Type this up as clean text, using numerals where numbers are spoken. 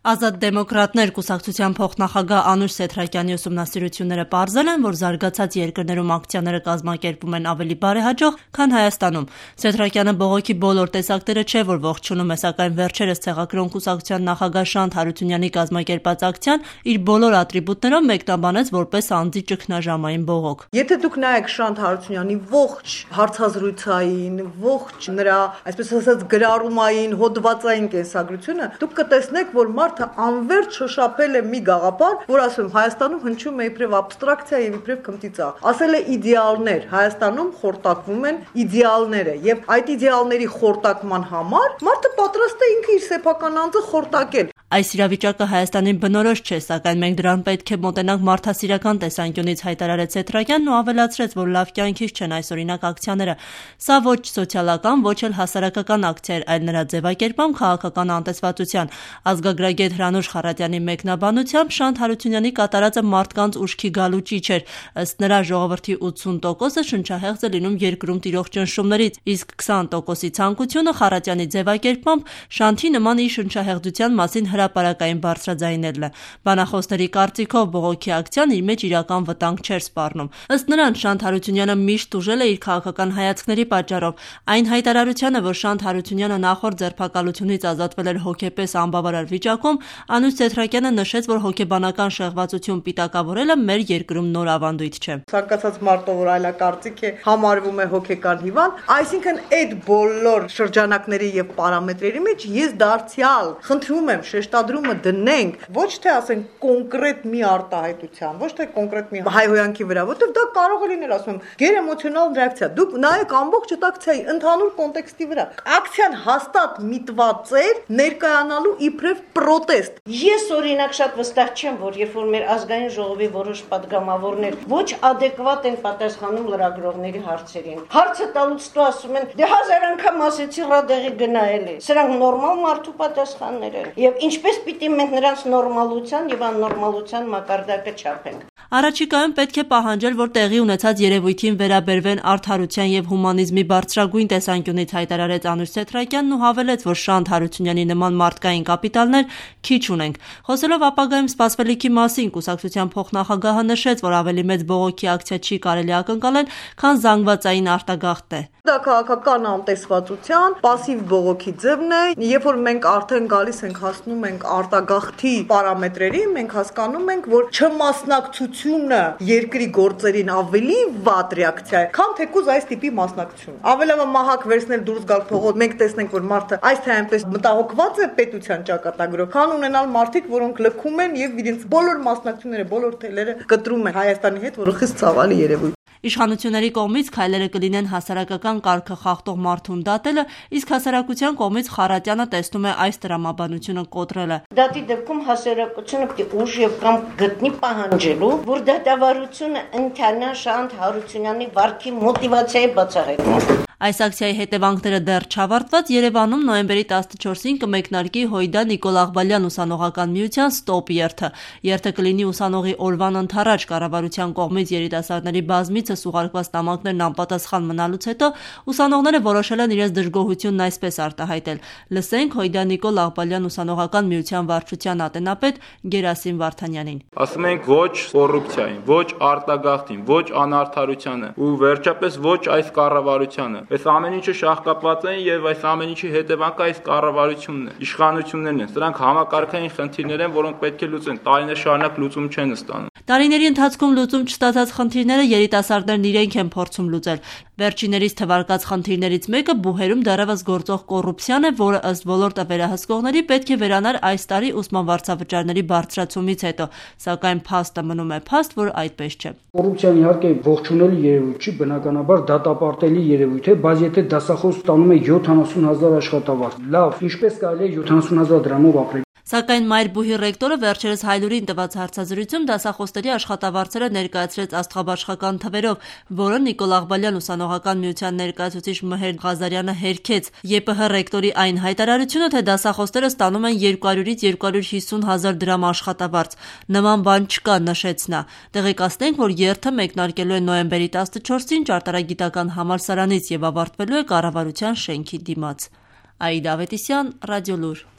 Ազատ դեմոկրատներ կուսակցության փոխնախագահ Անուշ Սեթրակյանի ուսումնասիրությունները պարզել են, որ զարգացած երկրներում ակցիաները կազմակերպում են ավելի բարեհաջող, քան Հայաստանում։ Սեթրակյանը բողոքի բոլոր տեսակները չէ, որ ողջունում է, սակայն վերջերս Ցեղակրոն կուսակցության նախագահ Շանթ Հարությունյանի կազմակերպած ակցիան իր բոլոր ատրիբուտներով մեկնաբանեց որպես անձի ճգնաժամային բողոք։ Եթե դուք նայեք Շանթ Հարությունյանի ողջ հարցազրույցային, ողջ նրա, այսպես ասած, գրառումային, հոդվածային կենսագրությունը, դուք կտեսնեք, որ մարդը անverջ շոշափել է մի գաղափար, որ ասում Հայաստանում հնչում է իբրև աբստրակցիա եւ իբրև քմտիծա։ Ասել է իդեալներ, Հայաստանում խորտակվում են իդեալները եւ այդ իդեալների խորտակման համար մարդը պատրաստ է ինքը իր սեփական անձը խորտակել։ Այս իրավիճակը Հայաստանին բնորոշ չէ, սակայն մենք դրան պետք է մոտենանք մարդասիրական տեսանկյունից, հայտարարեց Սեթրակյանն ու ավելացրեց, որ լավ կյանքից չեն այսօրինակ ակցիաները։ Սա ոչ սոցիալական, ոչ էլ հասարակական ակցիա էր, այլ նրա ձևակերպում քաղաքական անտեսվածության։ Ազգագրագետ Հրանուշ Խառատյանի մեկնաբանությամբ Շանթ Հարությունյանի կատարածը մարդկանց ուշքի գալու ճիչ էր։ Ըստ նրա ժողովրդի 80%-ը շնչահեղձ է լինում երկրում տիրող ճնշումներից, իսկ 20%-ի ցանկությունը Խառատյանի ձևակերպմամբ Շանթի նման իր շնչահեղձության մասին հրապարակային բարձրաձայնելն է։ Բանախոսների կարծիքով բողոքի ակցիան իր մեջ իրական վտանգ չէր սպառնում։ Ըստ նրան Շանթ Հարությունյանը միշտ ուժել է իր քաղաքական հայացքների պատճառով։ Այն հայտարարությանը, որ Շանթ Հարությունյանը նախորդ ձերբակալությունից ազատվել էր հոգեպես անբավարար վիճակում, Անուշ Սեթրակյանը նշեց, որ հոգեբանական շեղվածություն պիտակավորելը մեր երկրում նոր ավանդույթ չէ։ Ցանկացած մարդը, որ այլակարծիք է, համարվում է հոգեկան հիվանդ, այսինքն այդ բոլոր շրջանակների եւ պարամետրերի մեջ ես դարձյալ խնդրում եմ շեշտադրումը դնենք ոչ թե ասենք կոնկրետ մի արտահայտության, ոչ թե կոնկրետ մի հայհոյանքի վրա, որտեղ դա կարող է լինել, ասում եմ, գերէմոցիոնալ ռեակցիա։ Դուք նայեք ամբողջ այդ ակցիայի ընդհանուր կոնտեքստի վրա։ Ակցիան հաստատ միտված էր ներկայանալու իբրև պրոտեստ։ Ես օրինակ շատ վստահ չեմ, որ երբ որ մեր ազգային ժողովի որոշ падգամավորներ ոչ adekvat են պատասխանում լրագրողների հարցերին։ Հարցը տալուց հետո ասում են՝ դե 1000 անգամ ասեցի ռադեղի գնա էլի։ Սրանք նորմալ մարդու պատասխաններ են։ Եվ ինչպես պիտի մենք նրանց նորմալության եւ աննորմալության մակարդակը չափենք։ Առաջիկայում պետք է պահանջել, որ տեղի ունեցած երևույթին վերաբերվեն արդարության եւ հումանիզմի բարձրագույն տեսանկյունից, հայտարարեց Անուշ Սեթրակյանն ու հավելեց, որ Շանթ Հարությունյանի նման մարդկային կապիտալներ քիչ ունենք։ Խոսելով ապագայում սպասվելիքի մասին, կուսակցության փոխնախագահը նշեց, որ ավելի մեծ բողոքի ակցիա չի կարելի ակնկալել, քան զանգվածային արտագաղթ է։ Դա քաղաքական անտեսվածության пассив բողոքի ձևն է, երբ որ մենք արդեն գալիս ենք հասնում ենք արտագաղթի պարամետրերին, մենք հասկանում ենք, որ չմասնակցությունը երկրի գործերին ավելի վատ ռեակցիա է, քան թեկուզ այս տիպի մասնակցություն։ Ավելավա մահակ վերցնել դուրս գալ փողոց, մենք տեսնենք, որ մարդը այս թե այնպես մտահոգված է պետության ճակատագրով, քան ունենալ մարդիկ, որոնք լքում են եւ իրենց բոլոր մասնակցությունները, բոլոր թելերը կտրում են Հայաստանի հետ, որը խիստ ցավալի երևույթ։ Իշխանությունների կողմից քայլերը կլինեն հասարակական կարգը խախտող մարդուն դատելը, իսկ հասարակության կողմից Խառատյանը տեսնում է այս տրամաբանությունը կոտրելը։ Դատի դեպքում հասարակությունը պետք է ուժ եւ կամ գտնի պահանջելու, որ դատավարությունը ընթանա Շանթ Հարությունյանի վարքի մոտիվացիայի բացահայտման։ Այս ակցիայի հետևանքները դեռ չավարտված Երևանում նոյեմբերի 14-ին կմեկնարկի Հույդա Նիկոլ Աղբալյան ուսանողական միության ստոպ երթը։ Երթը կլինի ուսանողի օրվան ընդառաջ կառավարության կողմից երիտասարդների բազմիցս ուղարկված նամակներն անպատասխան մնալուց հետո ուսանողները որոշել են իրենց դժգոհությունն այսպես արտահայտել։ Լսենք Հույդա Նիկոլ Աղբալյան ուսանողական միության վարչության ատենապետ Գերասիմ Վարդանյանին։ Ասում ենք ոչ կոռուպցիային, ոչ արտագաղթին, ոչ անարդարությանը ու վերջապես ոչ այս կառավարությանը։ Այս ամեն ինչը շահկապված են եւ այս ամեն ինչի հետևանքը այս կառավարությունն է, իշխանություններն են։ Սրանք համակարգային խնդիրներ են, որոնք պետք է լուծեն։ Տարիներ շարունակ լուծում չեն ստանում։ Տարիների ընթացքում լուծում չստացած խնդիրները երիտասարդներն իրենք են փորձում լուծել։ Վերջիներիս թվարկած խնդիրներից մեկը բուհերում դեռևս գործող կոռուպցիան է, որը ըստ ոլորտը վերահսկողների պետք է վերանար այս տարի ուսման վարձավճարների բարձրացումից հետո, սակայն փաստը մնում է փաստ, որ այդպես չէ։ Կոռուպցիան իհարկե ողջունելի երևույթ չի, բնականաբար դատապարտելի երևույթ է, բայց եթե դասախոս ստանում է 70,000 աշխատավարձ, լավ, ինչպես կարելի է 70,000 դրամով ապրել։ Սակայն Մայրբուհի ռեկտորը վերջերս Հայլուրին տված հարցազրույցում դասախոսների աշխատավարձերը ներկայացրեց աստղաբաշխական թվերով, որը Նիկոլ Աղբալյան ուսանողական միության ներկայացուցիչ Մհեր Ղազարյանը հերքեց։ ԵՊՀ ռեկտորի այն հայտարարությունը, թե դասախոսները ստանում են 200-ից 250,000 դրամ աշխատավարձ։ Նման բան չկա, նշեց նա։ Տեղեկացնենք, որ երթը մեկնարկելու է նոյեմբերի 14-ին ճարտարագիտական համալսարանից եւ ավարտվելու է կառավարության շենքի դիմաց։ Աիդա Ավետիսյան, Ռադիոլուր։